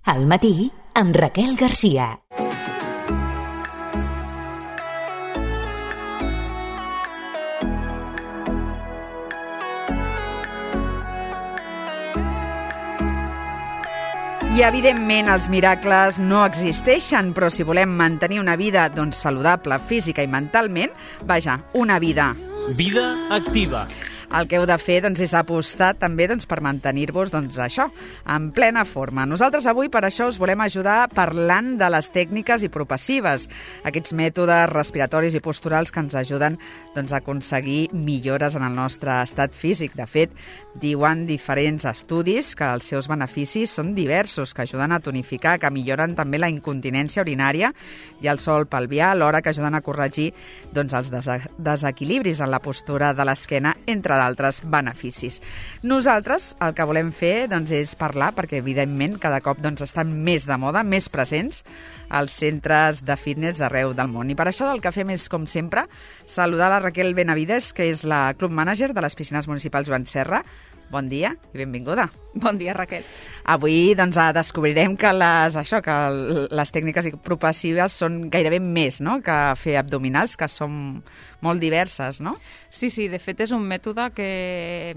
Al matí, amb Raquel Garcia. I, evidentment, els miracles no existeixen, però si volem mantenir una vida saludable física i mentalment, vaja, una vida. Vida activa. El que heu de fer és apostar també per mantenir-vos això, en plena forma. Nosaltres avui per això us volem ajudar parlant de les tècniques hipopassives, aquests mètodes respiratoris i posturals que ens ajuden a aconseguir millores en el nostre estat físic. De fet, diuen diferents estudis que els seus beneficis són diversos, que ajuden a tonificar, que milloren també la incontinència urinària i el sòl pelvià, alhora que ajuden a corregir els desequilibris en la postura de l'esquena, entre d'altres beneficis. Nosaltres el que volem fer és parlar, perquè evidentment cada cop estan més de moda, més presents als centres de fitness d'arreu del món. I per això el que fem és, com sempre, saludar la Raquel Benavides, que és la club manager de les piscines municipals Joan Serra. Bon dia i benvinguda. Bon dia, Raquel. Avui descobrirem que les tècniques hipopassives són gairebé més que fer abdominals, que són molt diverses, no? Sí, de fet és un mètode que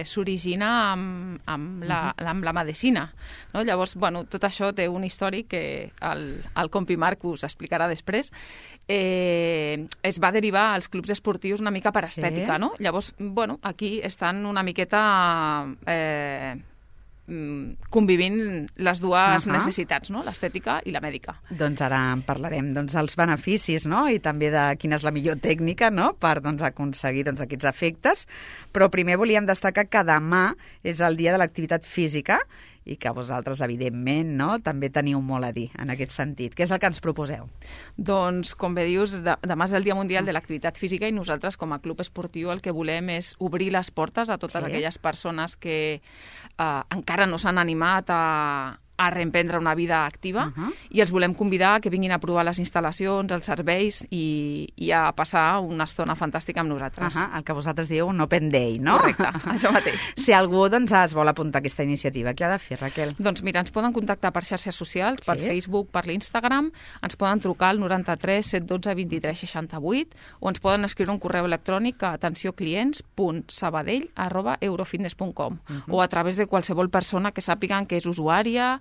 s'origina amb la medicina. No? Llavors, tot això té un històric que el compi Marc us explicarà després. Es va derivar als clubs esportius una mica per estètica, no? Llavors, aquí estan una miqueta convivint les dues necessitats, no? L'estètica i la mèdica. Doncs ara en parlarem dels beneficis, no? I també de quina és la millor tècnica, no? Per aconseguir aquests efectes. Però primer volíem destacar que demà és el dia de l'activitat física i que vosaltres, evidentment, també teniu molt a dir en aquest sentit. Què és el que ens proposeu? Doncs, com bé dius, demà és el Dia Mundial de l'Activitat Física i nosaltres, com a club esportiu, el que volem és obrir les portes a totes aquelles persones que encara no s'han animat a reemprendre una vida activa i els volem convidar que vinguin a provar les instal·lacions, els serveis i a passar una estona fantàstica amb nosaltres. El que vosaltres dieu un open day, no? Correcte, això mateix. Si algú es vol apuntar a aquesta iniciativa, què ha de fer, Raquel? Doncs mira, ens poden contactar per xarxes socials, per Facebook, per l'Instagram, ens poden trucar al 93 712 23 68 o ens poden escriure un correu electrònic a atencioclients.sabadell@eurofitness.com o a través de qualsevol persona que sàpiguen que és usuària,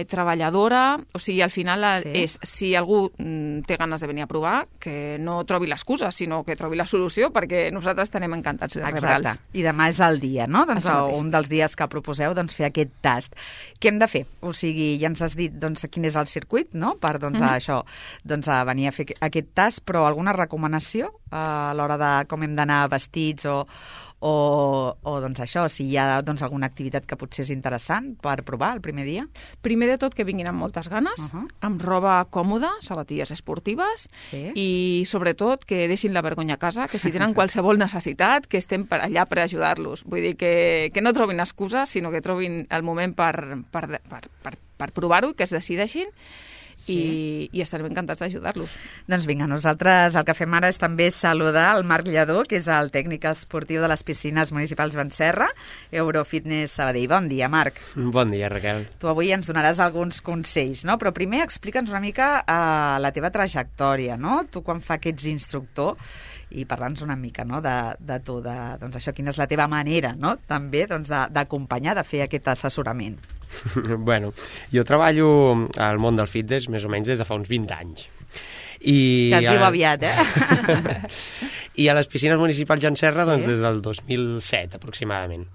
treballadora, o sigui, al final és, si algú té ganes de venir a provar, que no trobi l'excusa, sinó que trobi la solució, perquè nosaltres estarem encantats de rebre'ls. Exacte, i demà és el dia, no? Un dels dies que proposeu fer aquest tast. Què hem de fer? O sigui, ja ens has dit quin és el circuit, no? Per això, venir a fer aquest tast, però alguna recomanació a l'hora de com hem d'anar vestits o això, si hi ha alguna activitat que potser és interessant per provar el primer dia? Primer de tot que vinguin amb moltes ganes, amb roba còmoda, sabatilles esportives i sobretot que deixin la vergonya a casa, que si tenen qualsevol necessitat, que estem allà per ajudar-los. Vull dir que no trobin excuses, sinó que trobin el moment per provar-ho, que es decideixin i estarem encantats d'ajudar-los. Doncs vinga, nosaltres el que fem ara és també saludar el Marc Lladó, que és el tècnic esportiu de les piscines municipals Joan Serra, Eurofitness Sabadell. Bon dia, Marc. Bon dia, Raquel. Tu avui ens donaràs alguns consells, no? Però primer explica'ns una mica la teva trajectòria, no? Tu quan fa que ets instructor i parla'ns una mica de tu, això, quina és la teva manera, no? També d'acompanyar, de fer aquest assessorament. Bueno, jo treballo al món del fitness més o menys des de fa uns 20 anys. Que es diu aviat, I a les piscines municipals Joan Serra des del 2007 aproximadament.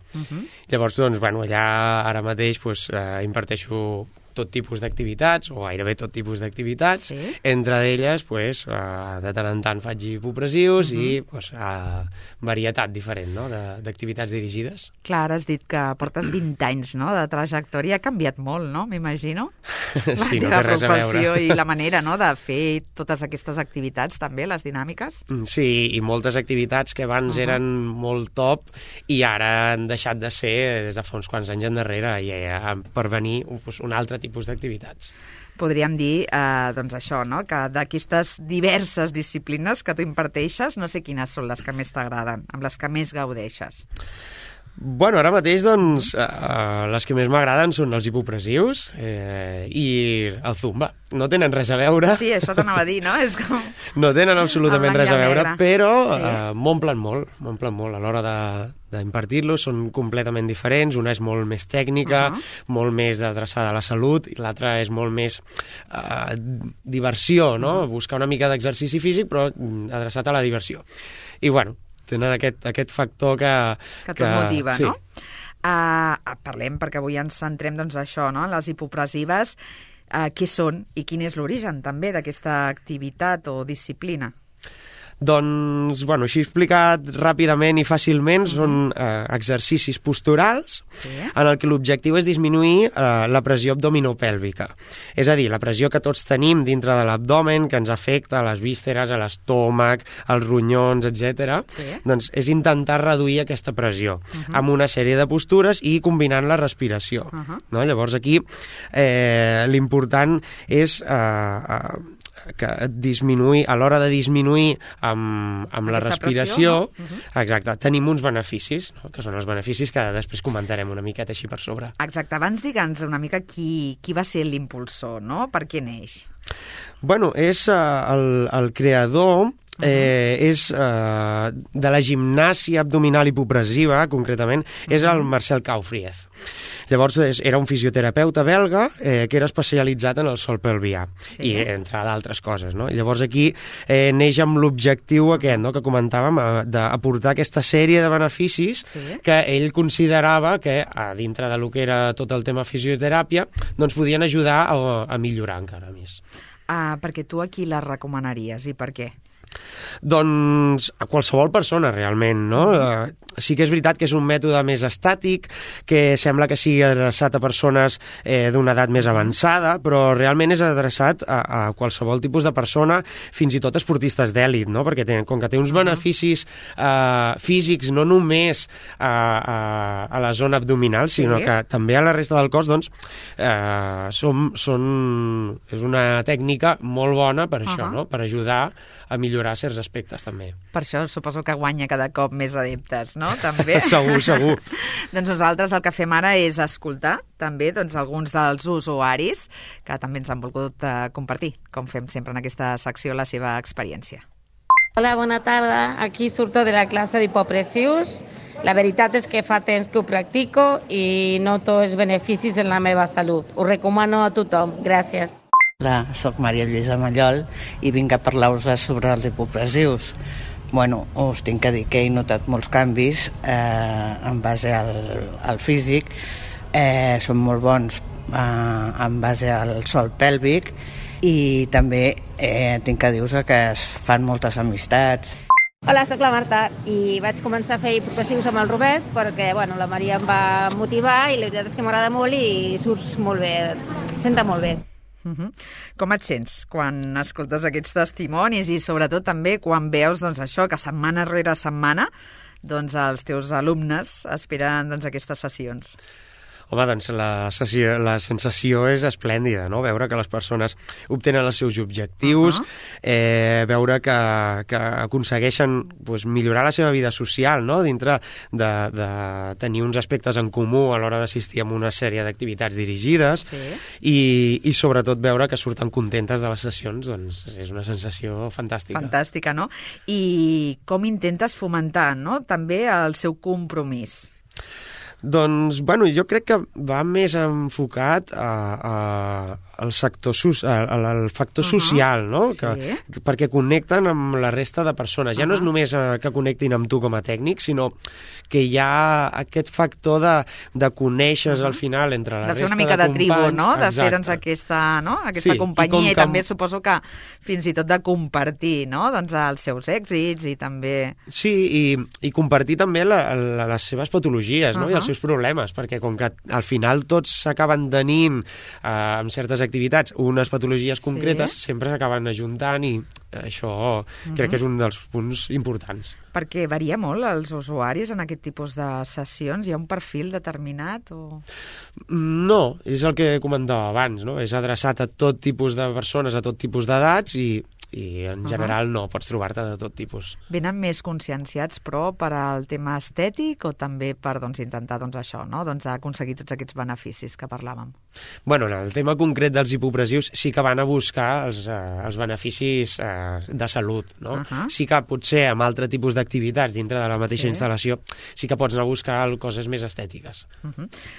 Llavors, allà ara mateix imparteixo tot tipus d'activitats, o gairebé tot tipus d'activitats. Entre elles, de tant en tant faig hipopressius i varietat diferent, no?, d'activitats dirigides. Clar, has dit que portes 20 anys, no?, de trajectòria. Ha canviat molt, no?, m'imagino? Sí, no té res a veure. I la manera, no?, de fer totes aquestes activitats, també, les dinàmiques. Sí, i moltes activitats que abans eren molt top i ara han deixat de ser des de fa uns quants anys endarrere per venir un altre tipus d'activitats. Podríem dir, això, no?, que d'aquestes diverses disciplines que tu imparteixes, no sé quines són les que més t'agraden, amb les que més gaudeixes. Bueno, ara mateix, doncs, les que més m'agraden són els hipopressius i el zumba. No tenen res a veure. Sí, això t'anava a dir, no? És com... No tenen absolutament res a veure, però sí. m'omplen molt. A l'hora d'impartir-los són completament diferents. Una és molt més tècnica, molt més adreçada a la salut, i l'altra és molt més diversió, no? Buscar una mica d'exercici físic, però adreçat a la diversió. I, bueno, tenen aquest factor que tot motiva, sí. No? Parlem, perquè avui ens centrem doncs, això, no? Les hipopressives, què són i quin és l'origen també d'aquesta activitat o disciplina? Doncs, bueno, així explicat ràpidament i fàcilment, són exercicis posturals en el que l'objectiu és disminuir la pressió abdominopèlvica. És a dir, la pressió que tots tenim dintre de l'abdomen, que ens afecta a les vísceres, a l'estómac, als ronyons, etc. Doncs és intentar reduir aquesta pressió amb una sèrie de postures i combinant la respiració. No? Llavors aquí l'important és que disminuir, a l'hora de disminuir amb la respiració, exacte, tenim uns beneficis, no? Que són els beneficis que després comentarem una miqueta així per sobre. Exacte, abans digue'ns una mica qui va ser l'impulsor, no? Per què neix? Bueno, és el creador és de la gimnàsia abdominal hipopressiva, concretament, és el Marcel Kaufried. Llavors era un fisioterapeuta belga que era especialitzat en el sòl pelvià i entre d'altres coses, no? Llavors aquí neix amb l'objectiu aquest, no?, que comentàvem, d'aportar aquesta sèrie de beneficis que ell considerava que dintre de lo que era tot el tema fisioteràpia doncs podien ajudar a millorar encara més. Perquè tu a qui la recomanaries i per què? Doncs a qualsevol persona, realment, no? Sí que és veritat que és un mètode més estàtic, que sembla que sigui adreçat a persones d'una edat més avançada, però realment és adreçat a qualsevol tipus de persona, fins i tot esportistes d'èlit, no? Perquè com que té uns beneficis físics no només a la zona abdominal, sinó que també a la resta del cos, doncs és una tècnica molt bona per això, no? Per ajudar a millorar certs aspectes, també. Per això suposo que guanya cada cop més adeptes, no? També. Segur. Doncs nosaltres el que fem ara és escoltar també doncs, alguns dels usuaris que també ens han volgut compartir, com fem sempre en aquesta secció, la seva experiència. Hola, bona tarda. Aquí surto de la classe d'hipopressius. La veritat és que fa temps que ho practico i noto els beneficis en la meva salut. Ho recomano a tothom. Gràcies. Hola, soc Maria Lluïsa Mallol i vinc a parlar-vos sobre els hipopressius. Bueno, us tinc que dir que he notat molts canvis en base al físic. Són molt bons en base al sòl pèlvic i també tinc que dir-vos que es fan moltes amistats. Hola, sóc la Marta i vaig començar a fer hipopressius amb el Robert perquè la Maria em va motivar i la veritat és que m'agrada molt i surts molt bé, senta molt bé. Com et sents quan escoltes aquests testimonis i sobretot també quan veus doncs, això que setmana rere setmana doncs, els teus alumnes esperen doncs, aquestes sessions? Home, doncs la sensació és esplèndida, no? Veure que les persones obtenen els seus objectius, veure que aconsegueixen doncs, millorar la seva vida social, no? Dintre de tenir uns aspectes en comú a l'hora d'assistir a una sèrie d'activitats dirigides i sobretot veure que surten contentes de les sessions, doncs és una sensació fantàstica. Fantàstica, no? I com intentes fomentar, no?, també el seu compromís? Doncs, bueno, jo crec que va més enfocat al factor social, no? Perquè connecten amb la resta de persones. Ja no és només que connectin amb tu com a tècnic, sinó que hi ha aquest factor de conèixer al final entre la resta de companys. De fer una mica de tribu, no? De fer doncs, aquesta companyia i també suposo que fins i tot de compartir, no? Doncs els seus èxits i també... Sí, i compartir també les seves patologies, no? I els seus problemes, perquè com que al final tots s'acaben tenint amb certes activitats unes patologies concretes, sempre s'acaben ajuntant i això crec que és un dels punts importants. Perquè varia molt els usuaris en aquest tipus de sessions? Hi ha un perfil determinat? O... No, és el que comentava abans, no? És adreçat a tot tipus de persones, a tot tipus d'edats i i en general no, pots trobar-te de tot tipus. Venen més conscienciats, però, per al tema estètic o també per intentar això, no? Aconseguir tots aquests beneficis que parlàvem? Bueno, en el tema concret dels hipopressius sí que van a buscar els beneficis de salut, no? Sí que potser amb altre tipus d'activitats dintre de la mateixa instal·lació sí que pots anar a buscar coses més estètiques.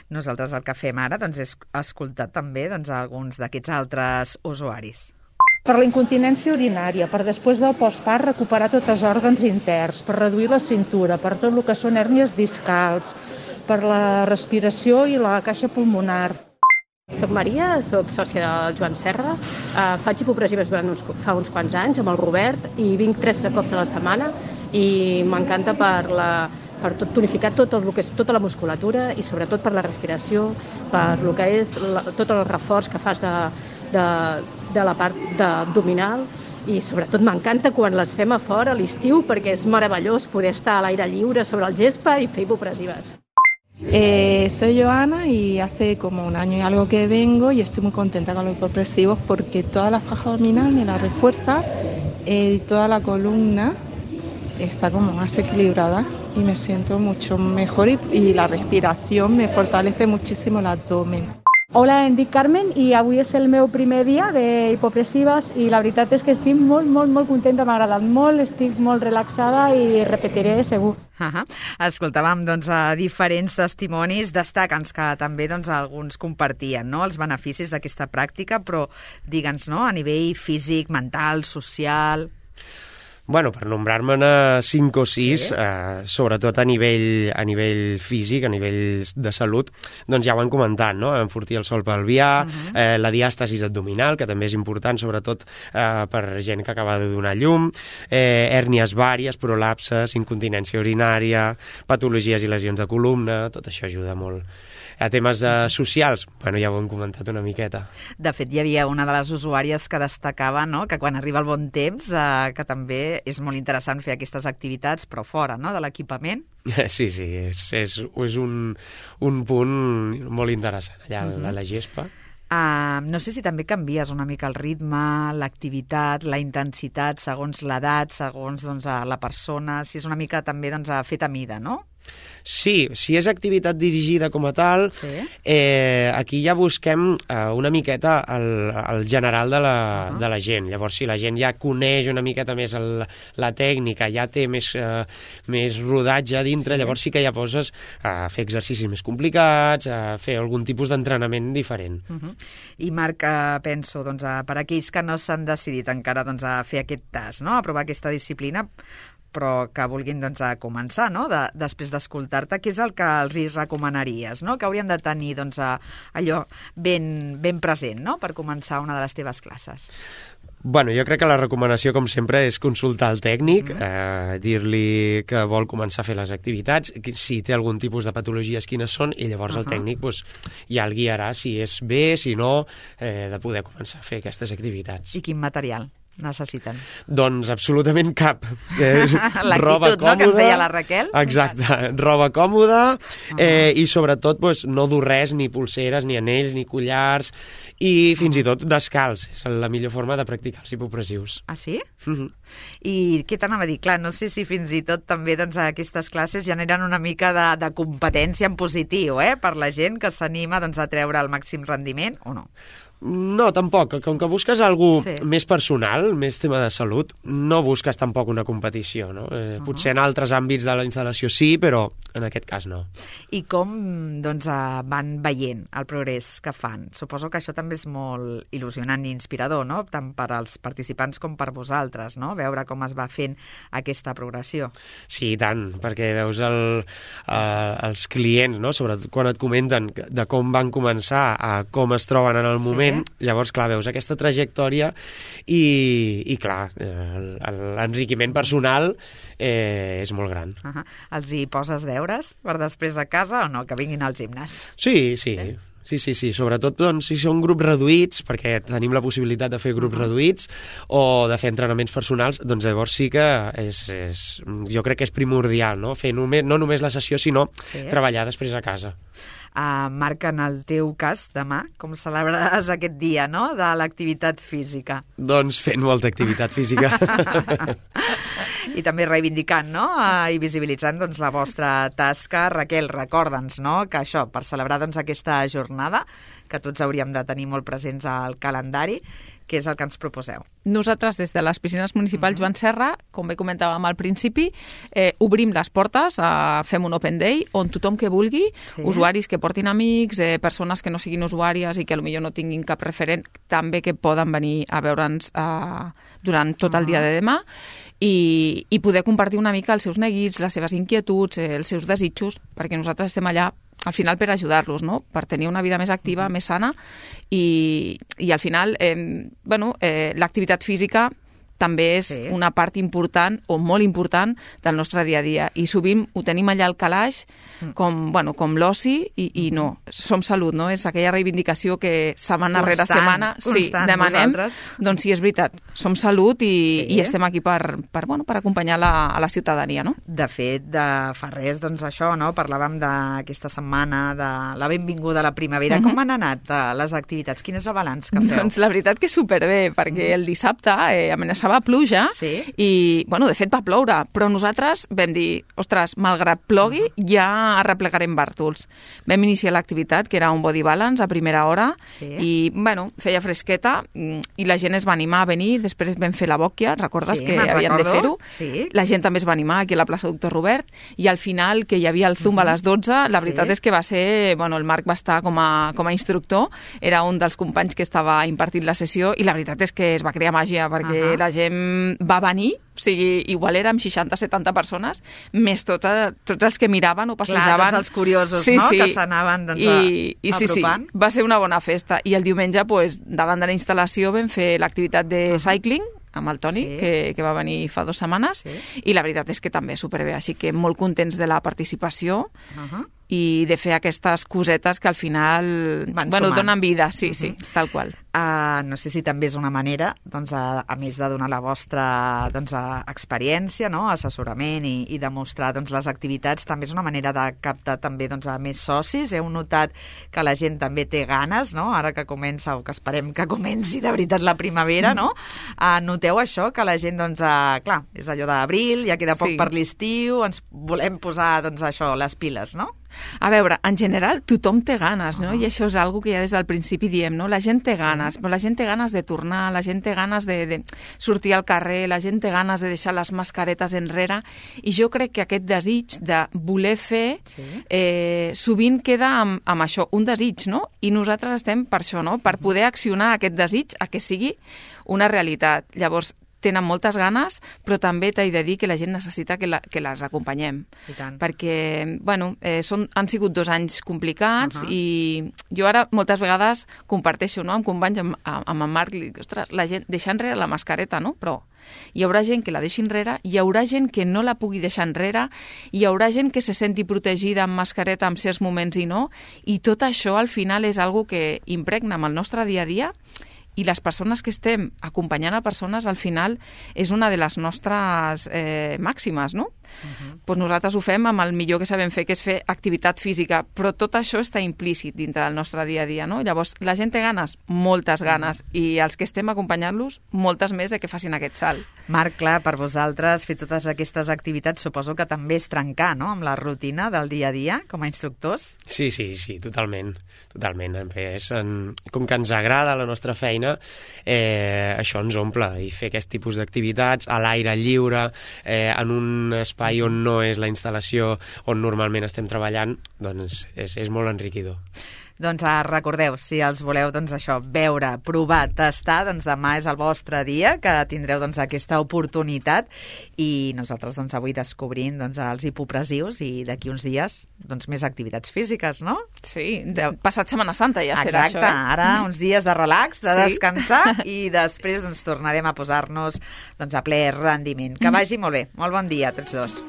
Nosaltres el que fem ara és escoltar també alguns d'aquests altres usuaris. Per la incontinència urinària, per després del postpart recuperar tots els òrgans interns, per reduir la cintura, per tot el que són hèrnies discals, per la respiració i la caixa pulmonar. Soc Maria, soc sòcia del Joan Serra, faig hipopressives fa uns quants anys amb el Robert i vinc 3 cops a la setmana i m'encanta per tonificar tot el que és tota la musculatura i sobretot per la respiració, per el que és tot el reforç que fas de la part abdominal i sobretot m'encanta quan les fem a fora a l'estiu perquè és meravellós poder estar a l'aire lliure sobre el gespa i fer hipopressives. Soy Joana y hace como 1 año y algo que vengo y estoy muy contenta con los hipopresivos porque toda la faja abdominal me la refuerza y toda la columna está como más equilibrada y me siento mucho mejor y la respiración me fortalece muchísimo el abdomen. Hola, em dic Carmen i avui és el meu primer dia d'hipopressives i la veritat és que estic molt contenta, m'ha agradat molt, estic molt relaxada i repetiré segur. Escoltàvem diferents testimonis destacants que també alguns compartien els beneficis d'aquesta pràctica, però digue'ns, a nivell físic, mental, social... Bueno, per nombrar-me 5 o 6, sobretot a nivell físic, a nivell de salut, doncs ja ho han comentat, no? Enfortir el sòl pelvià, la diàstasis abdominal, que també és important, sobretot per gent que acaba de donar llum, hèrnies vàries, prolapses, incontinència urinària, patologies i lesions de columna, tot això ajuda molt. A temes socials, bueno, ja ho hem comentat una miqueta. De fet, hi havia una de les usuàries que destacava que quan arriba el bon temps, que també és molt interessant fer aquestes activitats, però fora de l'equipament. Sí, és un punt molt interessant, allà a la gespa. No sé si també canvies una mica el ritme, l'activitat, la intensitat, segons l'edat, segons la persona, si és una mica també fet a mida, no? Sí, si és activitat dirigida com a tal, aquí ja busquem una miqueta el general de la gent. Llavors, si la gent ja coneix una miqueta més la tècnica, ja té més rodatge a dintre, llavors sí que ja poses a fer exercicis més complicats, a fer algun tipus d'entrenament diferent. I Marc, penso, per aquells que no s'han decidit encara a fer aquest tas, a provar aquesta disciplina, però que vulguin començar, després d'escoltar-te, què és el que els hi recomanaries, que haurien de tenir allò ben present per començar una de les teves classes? Bueno, jo crec que la recomanació, com sempre, és consultar el tècnic, dir-li que vol començar a fer les activitats, si té algun tipus de patologies, quines són, i llavors el tècnic ja el guiarà si és bé, si no, de poder començar a fer aquestes activitats. I quin material necessiten? Doncs absolutament cap. L'actitud, que ens deia la Raquel. Exacte, roba còmoda i sobretot no dur res, ni pulseres, ni anells, ni collars, i fins i tot descalç. És la millor forma de practicar els hipopressius. Ah, sí? I què t'anava a dir? Clar, no sé si fins i tot també aquestes classes generen una mica de competència en positiu, per la gent que s'anima a treure el màxim rendiment, o no? No, tampoc. Com que busques alguna més personal, més tema de salut, no busques tampoc una competició, no? Potser en altres àmbits de la instal·lació sí, però en aquest cas no. I com van veient el progrés que fan? Suposo que això també és molt il·lusionant i inspirador, no? Tant per als participants com per vosaltres, no? Veure com es va fent aquesta progressió. Sí, i tant, perquè veus els clients, no? Sobretot quan et comenten de com van començar a com es troben en el moment. Llavors, clar, veus aquesta trajectòria i clar, l'enriquiment personal és molt gran. Els hi poses deures per després a casa o no? Que vinguin al gimnàs? Sí. Sí, sobretot si són grups reduïts, perquè tenim la possibilitat de fer grups reduïts o de fer entrenaments personals, doncs llavors sí que jo crec que és primordial, no? Fer no només la sessió, sinó treballar després a casa. Marc, en el teu cas, demà, com celebraràs aquest dia, no?, de l'activitat física. Doncs fent molta activitat física. I també reivindicant, no?, i visibilitzant doncs, la vostra tasca. Raquel, recorda'ns, no?, que això, per celebrar doncs, aquesta jornada, que tots hauríem de tenir molt presents al calendari, què és el que ens proposeu? Nosaltres, des de les piscines municipals Joan Serra, com bé comentàvem al principi, obrim les portes, fem un open day, on tothom que vulgui, usuaris que portin amics, persones que no siguin usuàries i que potser no tinguin cap referent, també que poden venir a veure'ns durant tot el dia de demà i poder compartir una mica els seus neguits, les seves inquietuds, els seus desitjos, perquè nosaltres estem allà al final per ajudar-los, no?, per tenir una vida més activa, més sana i al final, l'activitat física també és una part important o molt important del nostre dia a dia i sovint ho tenim allà al calaix com l'oci i no, som salut, no? És aquella reivindicació que setmana rere setmana demanem, doncs sí, és veritat, som salut i estem aquí per acompanyar a la ciutadania, no? De fet, fa res, doncs això, no? Parlàvem d'aquesta setmana de la benvinguda a la primavera. Com han anat les activitats? Quin és el balanç que feu? Doncs la veritat que superbé, perquè el dissabte amenaçava pluja i, de fet va ploure, però nosaltres vam dir, ostres, malgrat plogui, ja arreplegarem bàrtols. Vam iniciar l'activitat, que era un body balance a primera hora, i, feia fresqueta, i la gent es va animar a venir, després vam fer la bòquia, recordes que havien de fer-ho? La gent també es va animar aquí a la plaça Doctor Robert, i al final, que hi havia el Zumba a les 12, la veritat és que va ser, el Marc va estar com a instructor, era un dels companys que estava impartint la sessió, i la veritat és que es va crear màgia, perquè la gent va venir, o sigui, igual érem 60-70 persones, més tots els que miraven o passejaven. Clar, tots els curiosos, que s'anaven apropant. Sí, va ser una bona festa. I el diumenge, davant de la instal·lació, vam fer l'activitat de cycling, amb el Toni, que va venir fa 2 setmanes, i la veritat és que també superbé, així que molt contents de la participació i de fer aquestes cosetes que al final donen vida, sí, tal qual. No sé si també és una manera, doncs, a més de donar la vostra experiència, assessorament i demostrar les activitats, també és una manera de captar també a més socis. Heu notat que la gent també té ganes, ara que comença, o que esperem que comenci de veritat la primavera, no? Noteu això, que la gent, clar, és allò d'abril, ja queda poc per l'estiu, ens volem posar, això, les piles, no? A veure, en general, tothom té ganes, no? I això és algo que ja des del principi diem, no? La gent té ganes, però la gent té ganes de tornar, la gent té ganes de sortir al carrer, la gent té ganes de deixar les mascaretes enrere, i jo crec que aquest desig de voler fer sovint queda amb això, un desig, no? I nosaltres estem per això, no? Per poder accionar aquest desig a que sigui una realitat. Llavors, tenen moltes ganes, però també t'he de dir que la gent necessita que les acompanyem. Perquè, han sigut 2 anys complicats i jo ara moltes vegades comparteixo, amb companys, amb en Marc, i dic, ostres, la gent deixa enrere la mascareta, no? Però hi haurà gent que la deixi enrere, hi haurà gent que no la pugui deixar enrere, hi haurà gent que se senti protegida amb mascareta en certs moments i no, i tot això al final és algo que impregna amb el nostre dia a dia. I les persones que estem acompanyant a persones, al final, és una de les nostres màximes, no? Doncs nosaltres ho fem amb el millor que sabem fer, que és fer activitat física, però tot això està implícit dintre del nostre dia a dia, no? Llavors, la gent té ganes, moltes ganes, i els que estem acompanyant-los, moltes més de que facin aquest salt. Marc, clar, per vosaltres fer totes aquestes activitats suposo que també és trencar, no?, amb la rutina del dia a dia, com a instructors. Sí, totalment. Com que ens agrada la nostra feina, això ens omple, i fer aquest tipus d'activitats a l'aire lliure, en un espai on no és la instal·lació on normalment estem treballant, doncs és molt enriquidor. Doncs recordeu, si els voleu veure, provar, tastar, doncs demà és el vostre dia, que tindreu aquesta oportunitat, i nosaltres avui descobrint els hipopressius, i d'aquí uns dies més activitats físiques, no? Sí, passat Setmana Santa ja serà això. Exacte, ara uns dies de relax, de descansar, i després tornarem a posar-nos a ple rendiment. Que vagi molt bé, molt bon dia a tots dos.